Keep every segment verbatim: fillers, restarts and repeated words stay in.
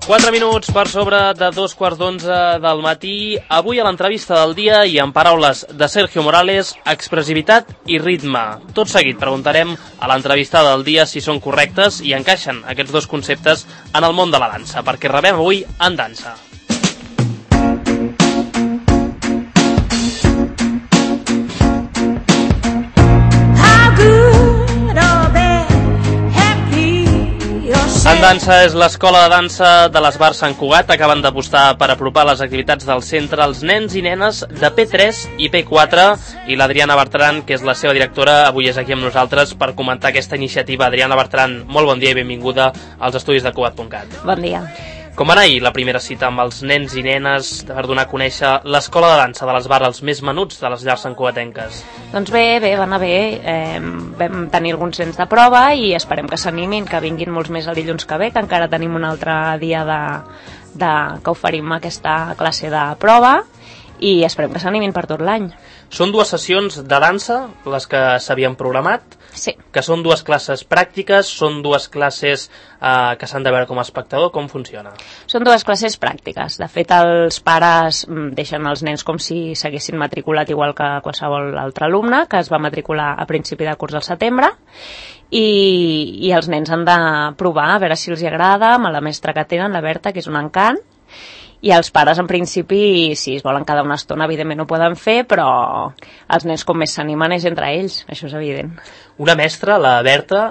quatre minuts per sobre de dos quarts d'onze del matí. Avui a l'entrevista del dia i en paraules de Sergio Morales, expressivitat i ritme. Tot seguit preguntarem a l'entrevista del dia si són correctes i encaixen aquests dos conceptes en el món de la dansa, perquè rebem avui En Dansa. En Dansa és l'escola de dansa de l'Esbar Sant Cugat. Acaben d'apostar per apropar les activitats del centre als nens i nenes de P tres i P quatre, i l'Adriana Bertran, que és la seva directora, avui és aquí amb nosaltres per comentar aquesta iniciativa. Adriana Bertran, molt bon dia i benvinguda als estudis de Cugat punt cat. Bon dia. Com va anar ahir la primera cita amb els nens i nenes per donar a conèixer l'escola de dansa de l'Esbar, els més menuts de les llars santcugatenques? Doncs bé, bé, va anar bé. Eh, vam tenir alguns nens de prova i esperem que s'animin, que vinguin molts més el dilluns que ve, que encara tenim un altre dia de, de, que oferim aquesta classe de prova, i esperem que s'animin per tot l'any. Són dues sessions de dansa, les que s'havien programat, sí. Que són dues classes pràctiques, són dues classes eh, que s'han de veure com a espectador. Com funciona? Són dues classes pràctiques. De fet, els pares deixen els nens com si s'haguessin matriculat igual que qualsevol altre alumne, que es va matricular a principi de curs al setembre, i, i els nens han de provar a veure si els agrada amb la mestra que tenen, la Berta, que és un encant. I els pares, en principi, si es volen quedar una estona, evidentment ho poden fer, però els nens com més s'animen és entre ells, això és evident. Una mestra, la Berta,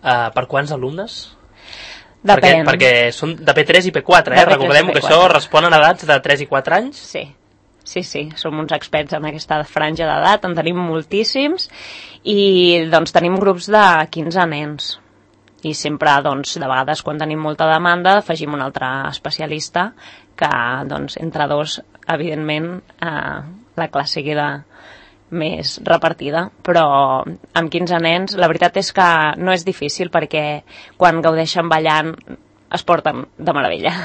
eh, per quants alumnes? Depèn. Perquè, perquè són de P tres i P quatre, eh? Recordem que això respon a edats de tres i quatre anys. Sí, sí, sí, som uns experts en aquesta franja d'edat, en tenim moltíssims, i doncs tenim grups de quinze nens. I sempre, doncs, de vegades, quan tenim molta demanda, afegim un altre especialista que, doncs, entre dos, evidentment, eh, la classe queda més repartida. Però amb quinze nens, la veritat és que no és difícil, perquè quan gaudeixen ballant es porten de meravella.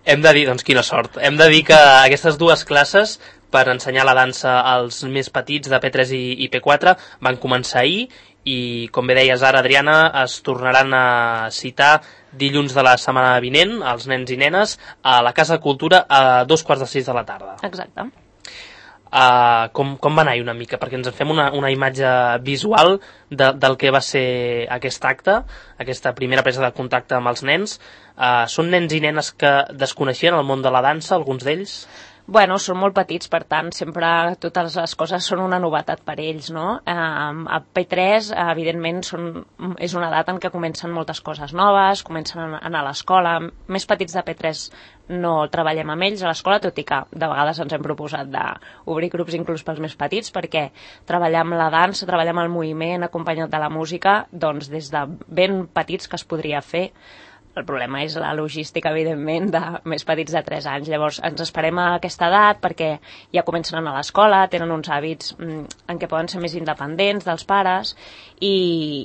Hem de dir, doncs, quina sort. Hem de dir que aquestes dues classes, per ensenyar la dansa als més petits de P tres i, i P quatre, van començar ahir, i, com bé deies ara, Adriana, es tornaran a citar dilluns de la setmana vinent, els nens i nenes, a la Casa de Cultura a dos quarts de sis de la tarda. Exacte. Uh, com, com va anar-hi una mica? Perquè ens en fem una, una imatge visual de, del que va ser aquest acte, aquesta primera presa de contacte amb els nens. Uh, són nens i nenes que desconeixien el món de la dansa, alguns d'ells? Bueno, són molt petits, per tant, sempre totes les coses són una novetat per ells, no? Eh, a P tres, evidentment, són, és una edat en què comencen moltes coses noves, comencen a anar a l'escola. Més petits de P tres no treballem amb ells a l'escola, tot i que de vegades ens hem proposat d'obrir grups inclús pels més petits, perquè treballar amb la dansa, treballar amb el moviment acompanyat de la música, doncs des de ben petits que es podria fer. El problema és la logística, evidentment, de més petits de tres anys. Llavors, ens esperem a aquesta edat perquè ja comencen a anar a l'escola, tenen uns hàbits en què poden ser més independents dels pares, i,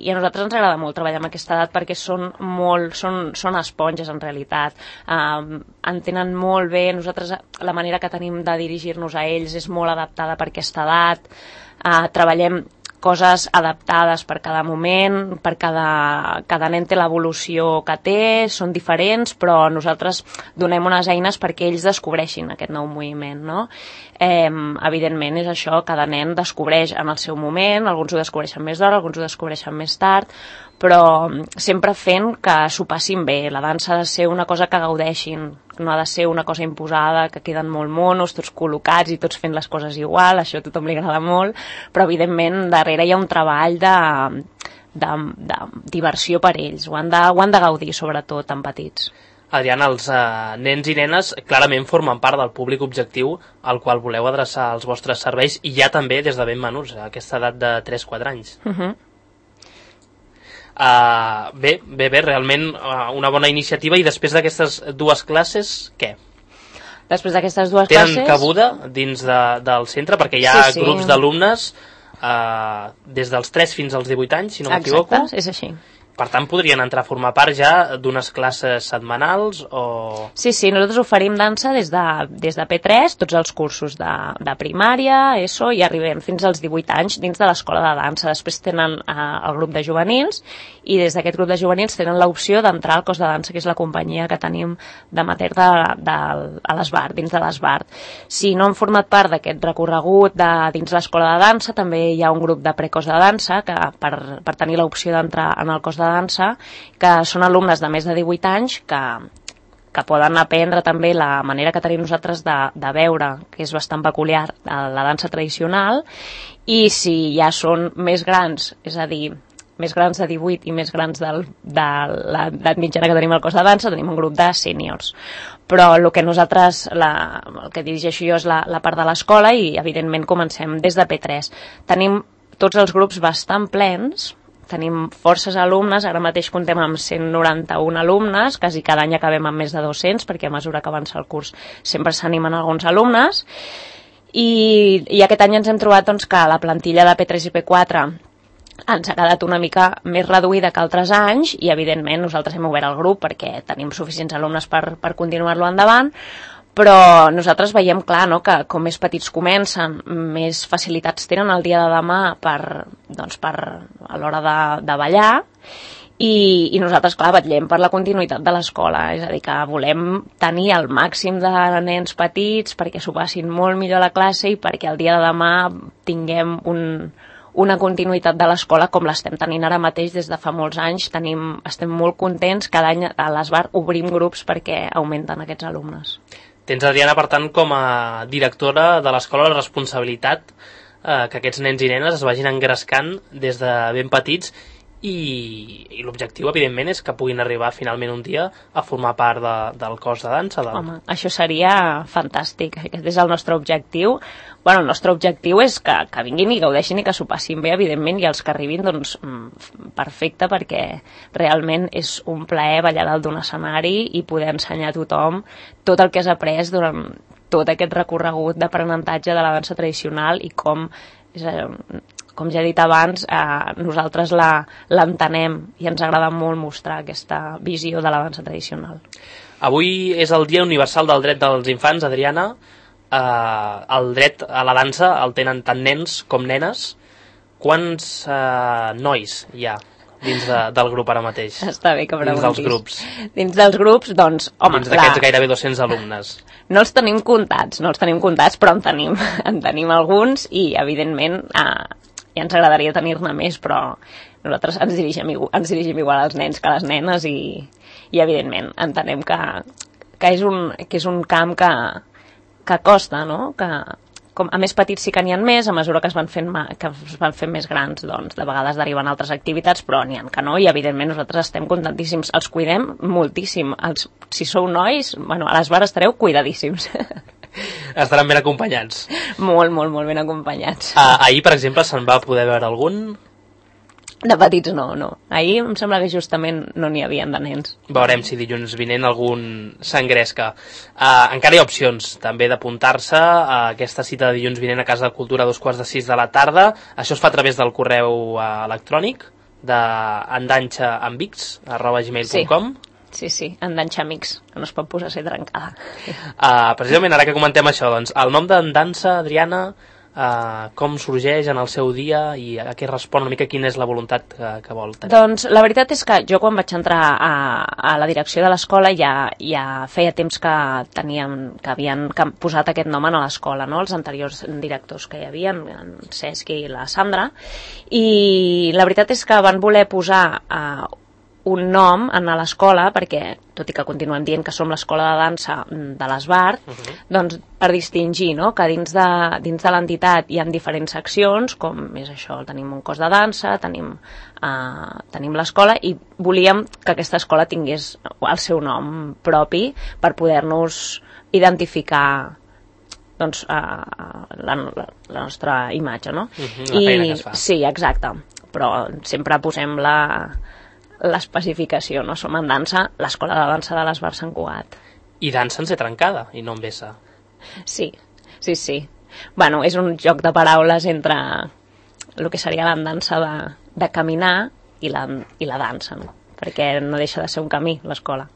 i a nosaltres ens agrada molt treballar amb aquesta edat perquè són molt, són, són esponges, en realitat. Um, entenen molt bé. Nosaltres, la manera que tenim de dirigir-nos a ells és molt adaptada per aquesta edat. Uh, treballem coses adaptades per cada moment, per cada, cada nen té l'evolució que té, són diferents, però nosaltres donem unes eines perquè ells descobreixin aquest nou moviment, no? Eh, evidentment és això, cada nen descobreix en el seu moment, alguns ho descobreixen més d'hora, alguns ho descobreixen més tard, però sempre fent que s'ho passin bé. La dansa ha de ser una cosa que gaudeixin, no ha de ser una cosa imposada, que queden molt monos, tots col·locats i tots fent les coses igual, això a tothom li agrada molt, però evidentment darrere hi ha un treball de, de, de diversió per ells, ho han de, ho han de gaudir sobretot tan petits. Adriana, els eh, nens i nenes clarament formen part del públic objectiu al qual voleu adreçar els vostres serveis, i ja també des de ben menuts, a aquesta edat de tres a quatre anys. Uh -huh. Uh, bé, bé, bé, realment uh, una bona iniciativa. I després d'aquestes dues classes, què? Després d'aquestes dues Tenen classes... Tenen cabuda dins de, del centre, perquè hi ha sí, sí. grups d'alumnes uh, des dels tres fins als divuit anys, si no m'equivoco. Exacte, és així. Per tant, podrien entrar a formar part ja d'unes classes setmanals o... Sí, sí, nosaltres oferim dansa des de, des de P tres, tots els cursos de, de primària, ESO, i arribem fins als divuit anys dins de l'escola de dansa. Després tenen eh, el grup de juvenils, i des d'aquest grup de juvenils tenen l'opció d'entrar al cos de dansa, que és la companyia que tenim d'amateur de, de, a l'Esbart, dins de l'Esbart. Si no han format part d'aquest recorregut de, dins l'escola de dansa, també hi ha un grup de precos de dansa que per, per tenir l'opció d'entrar en el cos de dansa, que són alumnes de més de divuit anys que, que poden aprendre també la manera que tenim nosaltres de, de veure, que és bastant peculiar, la dansa tradicional, i si ja són més grans, és a dir, més grans de divuit i més grans del, de l'edat mitjana que tenim al cos de dansa, tenim un grup de sèniors. Però el que nosaltres, la, el que dirigeixo jo és la, la part de l'escola, i evidentment comencem des de P tres. Tenim tots els grups bastant plens, tenim forces alumnes, ara mateix comptem amb cent noranta-un alumnes, quasi cada any acabem amb més de dos-cents, perquè a mesura que avança el curs sempre s'animen alguns alumnes, i, i aquest any ens hem trobat doncs, que la plantilla de P tres i P quatre ens ha quedat una mica més reduïda que altres anys, i evidentment nosaltres hem obert el grup perquè tenim suficients alumnes per, per continuar-lo endavant, però nosaltres veiem clar, no?, que com més petits comencen, més facilitats tenen el dia de demà per, doncs, per, a l'hora de, de ballar, i, i nosaltres, clar, vetllem per la continuïtat de l'escola, és a dir, que volem tenir el màxim de nens petits perquè s'ho passin molt millor a la classe i perquè el dia de demà tinguem un, una continuïtat de l'escola com l'estem tenint ara mateix des de fa molts anys. Tenim, estem molt contents, cada any a l'Esbart obrim grups perquè augmenten aquests alumnes. Tens, Adriana, per tant, com a directora de l'escola, la responsabilitat eh, que aquests nens i nenes es vagin engrescant des de ben petits, i, i l'objectiu, evidentment, és que puguin arribar finalment un dia a formar part de, del cos de dansa. Del... Home, això seria fantàstic, aquest és el nostre objectiu. Bueno, el nostre objectiu és que, que vinguin i gaudeixin i que s'ho passin bé, evidentment, i els que arribin, doncs, perfecte, perquè realment és un plaer ballar dalt d'un escenari i poder ensenyar a tothom tot el que has après durant tot aquest recorregut d'aprenentatge de la dansa tradicional i com, és, com ja he dit abans, eh, nosaltres l'entenem i ens agrada molt mostrar aquesta visió de la dansa tradicional. Avui és el Dia Universal del Dret dels Infants, Adriana. Eh, el dret a la dansa el tenen tant nens com nenes. Quants eh, nois hi ha dins de, del grup ara mateix? Està bé que preguntis. Dins dels grups. Dins dels grups, doncs, home... Dins d'aquests la... gairebé dos-cents alumnes. No els tenim comptats, no els tenim comptats, però en tenim, en tenim alguns, i evidentment eh, ja ens agradaria tenir-ne més, però nosaltres ens dirigim, ens dirigim igual als nens que a les nenes, i, i evidentment entenem que, que, és un, que és un camp que, que costa, no?, que... Com a més petits sí que n'hi ha més, a mesura que es van fent, que es van fent més grans, doncs de vegades deriven altres activitats, però n'hi ha que no, i evidentment nosaltres estem contentíssims, els cuidem moltíssim. Els, si sou nois, bueno, a l'Esbart estareu cuidadíssims. Estaran ben acompanyats. Molt, molt, molt ben acompanyats. Ah, ahir, per exemple, se'n va poder veure algun? De petits no, no. Ahir em sembla que justament no n'hi havia de nens. Veurem si dilluns vinent algun s'engresca. Uh, encara hi ha opcions també d'apuntar-se a aquesta cita de dilluns vinent a Casa de Cultura a dos quarts de sis de la tarda. Això es fa a través del correu uh, electrònic de endanxaamics arroba gmail punt com. Sí, sí, sí, endanxaamics, que no es pot posar a ser trencada. Uh, precisament ara que comentem això, doncs, el nom d'Endansa, Adriana, Uh, com sorgeix en el seu dia i a què respon una mica, quina és la voluntat que, que vol tenir? Doncs la veritat és que jo quan vaig entrar a, a la direcció de l'escola ja, ja feia temps que teníem, que havien posat aquest nom a l'escola, no?, els anteriors directors que hi havia, en Cesc i la Sandra, i la veritat és que van voler posar uh, un nom a l'escola, perquè, tot i que continuem dient que som l'escola de dansa de l'Esbart, uh -huh. doncs per distingir, no?, que dins de, dins de l'entitat hi ha diferents seccions, com és això, tenim un cos de dansa, tenim, uh, tenim l'escola, i volíem que aquesta escola tingués el seu nom propi per poder-nos identificar, doncs, uh, la, la, la nostra imatge, no? Uh -huh, la feina I, que es fa. Sí, exacte, però sempre posem la... l'especificació, no? Som en dansa, l'escola de dansa de l'Esbart Sant Cugat. I dansa en ser trencada, i no en vessa. Sí, sí, sí. Bueno, és un joc de paraules entre el que seria la dansa de, de caminar i la, i la dansa, no? Perquè no deixa de ser un camí, l'escola.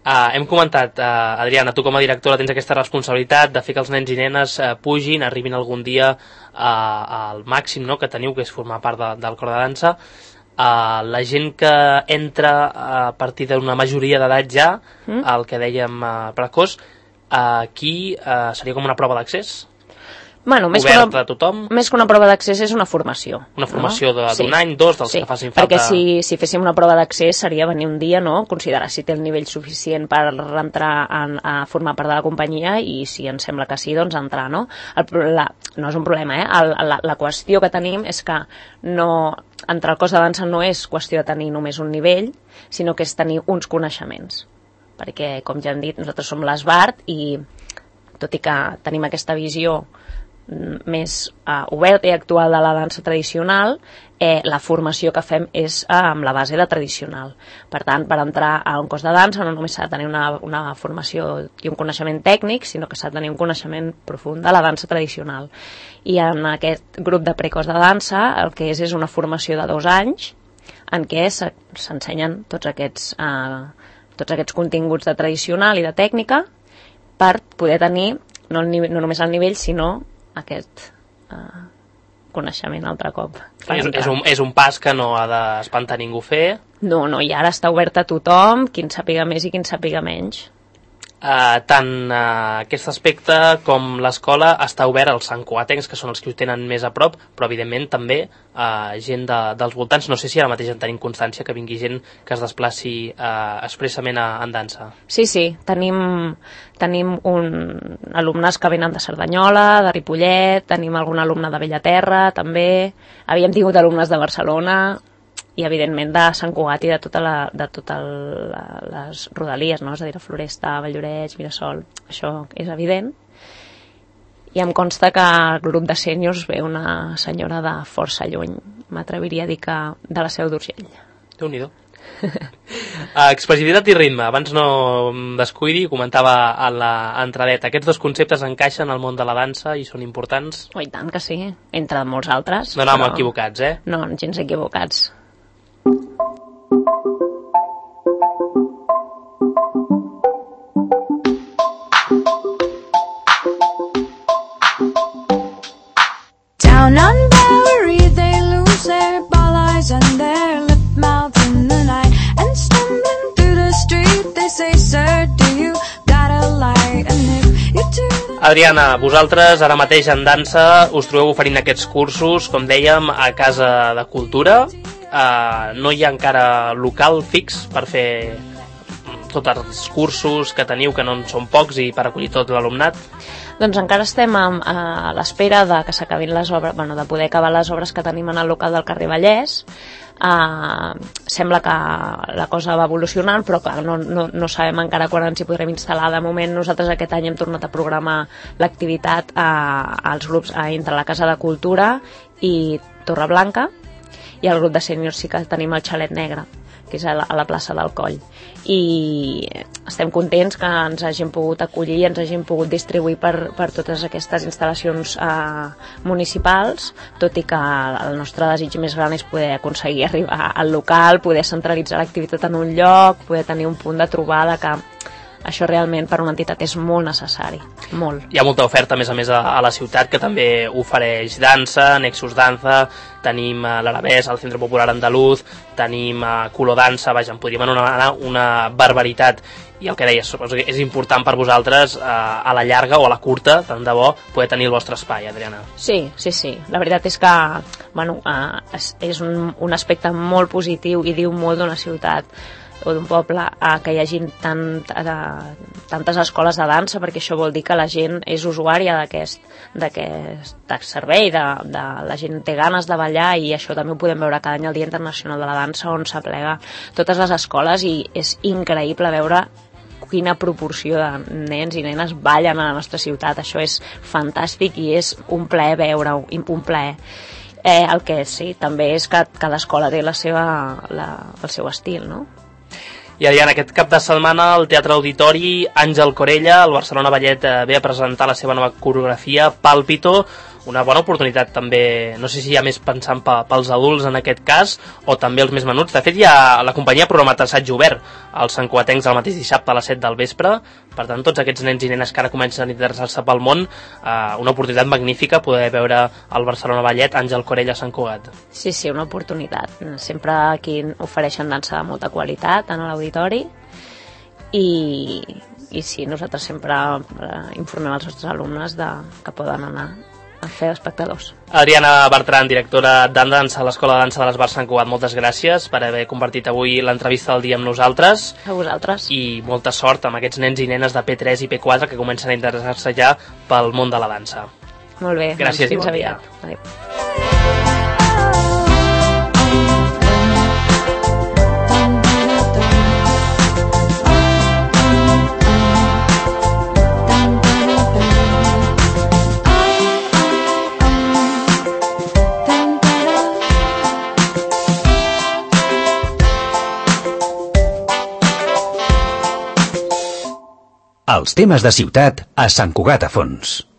Uh, hem comentat, uh, Adriana, tu com a directora tens aquesta responsabilitat de fer que els nens i nenes uh, pugin, arribin algun dia uh, al màxim, no?, que teniu, que és formar part de, del cor de dansa. Uh, la gent que entra a partir d'una majoria d'edat ja, mm? el que dèiem uh, precoç, uh, aquí uh, seria com una prova d'accés? Bueno, més oberta que una, a tothom? Més que una prova d'accés és una formació. Una formació no? d'un sí. any, dos, dels sí. que facin falta... Perquè si, si féssim una prova d'accés seria venir un dia, no?, considerar si té el nivell suficient per entrar en, a formar part de la companyia i si ens sembla que sí, doncs entrar, no? El, la, no és un problema, eh? El, la, la qüestió que tenim és que no, entrar al cos de dansa no és qüestió de tenir només un nivell, sinó que és tenir uns coneixements. Perquè, com ja hem dit, nosaltres som l'Esbart i, tot i que tenim aquesta visió més uh, oberta i actual de la dansa tradicional, eh, la formació que fem és uh, amb la base de tradicional. Per tant, per entrar a un cos de dansa no només s'ha de tenir una, una formació i un coneixement tècnic, sinó que s'ha de tenir un coneixement profund de la dansa tradicional. I en aquest grup de precos de dansa el que és és una formació de dos anys en què s'ensenyen tots aquests, uh, tots aquests continguts de tradicional i de tècnica per poder tenir no, el nivell, no només el nivell, sinó aquest uh, coneixement altre cop. És, és, un, és un pas que no ha d'espantar ningú fer. No, no, i ara està obert a tothom, qui en sàpiga més i qui en sàpiga menys. Uh, tant uh, aquest aspecte com l'escola està obert als santcugatencs, que són els que ho tenen més a prop, però evidentment també uh, gent de, dels voltants. No sé si ara mateix en tenim constància que vingui gent que es desplaci uh, expressament a, en dansa. Sí, sí, tenim, tenim un, alumnes que venen de Cerdanyola, de Ripollet, tenim algun alumne de Bellaterra també, havíem tingut alumnes de Barcelona i evidentment de Sant Cugat i de totes la, de tota la, les rodalies, no? És a dir, Floresta, Valldoreix, Mirasol, això és evident. I em consta que el grup de sèniors ve una senyora de força lluny, m'atreviria a dir que de la Seu d'Urgell. Déu-n'hi-do. uh, expressivitat i ritme, abans no em descuidi, comentava a l'entradeta, aquests dos conceptes encaixen al món de la dansa i són importants? Oh, i tant que sí, entre molts altres. No anàvem però... equivocats, eh? No, gens equivocats. Down on Bowery they lose their ball eyes and their lip mouths in the night, and stumbling through the street they say, sir, do you got a light? And if you do... Adriana, vosaltres ara mateix en dansa us trobeu oferint aquests cursos, com dèiem, a Casa de Cultura. Uh, no hi ha encara local fix per fer tots els cursos que teniu, que no en són pocs, i per acollir tot l'alumnat? Doncs encara estem a, a l'espera de que s'acabin les obres, bueno, de poder acabar les obres que tenim en el local del carrer Vallès. Uh, sembla que la cosa va evolucionant, però clar, no, no, no sabem encara quan ens hi podrem instal·lar. De moment nosaltres aquest any hem tornat a programar l'activitat uh, als grups uh, entre la Casa de Cultura i Torreblanca, i el grup de sèniors sí que tenim el Xalet Negre, que és a la, a la plaça del Coll. I estem contents que ens hagin pogut acollir i ens hagin pogut distribuir per, per totes aquestes instal·lacions eh, municipals, tot i que el nostre desig més gran és poder aconseguir arribar al local, poder centralitzar l'activitat en un lloc, poder tenir un punt de trobada, que això realment per una entitat és molt necessari, molt. Hi ha molta oferta, a més a més, a, a la ciutat, que també ofereix dansa, Nexus Danza, tenim uh, l'Arabès, el Centre Popular Andaluz, tenim uh, Color Dansa, vaja, en podríem anomenar una barbaritat. I el que deies, és important per vosaltres, uh, a la llarga o a la curta, tant de bo, poder tenir el vostre espai, Adriana. Sí, sí, sí. La veritat és que bueno, uh, és, és un, un aspecte molt positiu i diu molt d'una ciutat o d'un poble, eh, que hi hagi tant, eh, tantes escoles de dansa, perquè això vol dir que la gent és usuària d'aquest d'aquest servei, de, de, la gent té ganes de ballar, i això també ho podem veure cada any al Dia Internacional de la Dansa, on s'aplega totes les escoles, i és increïble veure quina proporció de nens i nenes ballen a la nostra ciutat. Això és fantàstic i és un plaer veure-ho, un plaer. Eh, el que sí, també és que cada escola té la seva, la, el seu estil, no? I Adriana, aquest cap de setmana al Teatre Auditori, Àngel Corella, el Barcelona Ballet, eh, ve a presentar la seva nova coreografia, Pálpito, una bona oportunitat també, no sé si hi ha més pensant pels adults en aquest cas o també els més menuts. De fet, ja la companyia ha programat assaig obert als santcugatencs el mateix dissabte a les set del vespre. Per tant, tots aquests nens i nenes que ara comencen a interessar-se pel món, eh, una oportunitat magnífica poder veure el Barcelona Ballet Àngel Corell a Sant Cugat. Sí, sí, una oportunitat. Sempre aquí ofereixen dansa de molta qualitat en l'auditori i, i sí, nosaltres sempre informem els nostres alumnes de, que poden anar a fer espectadors. Adriana Bertran, directora de dansa a l'Escola de Dansa de l'Esbar Sant Cugat, moltes gràcies per haver compartit avui l'entrevista del dia amb nosaltres. A vosaltres. I molta sort amb aquests nens i nenes de P tres i P quatre que comencen a interessar-se ja pel món de la dansa. Molt bé, gràcies, doncs fins bon aviat. Adéu. Els temes de ciutat a Sant Cugat a Fons.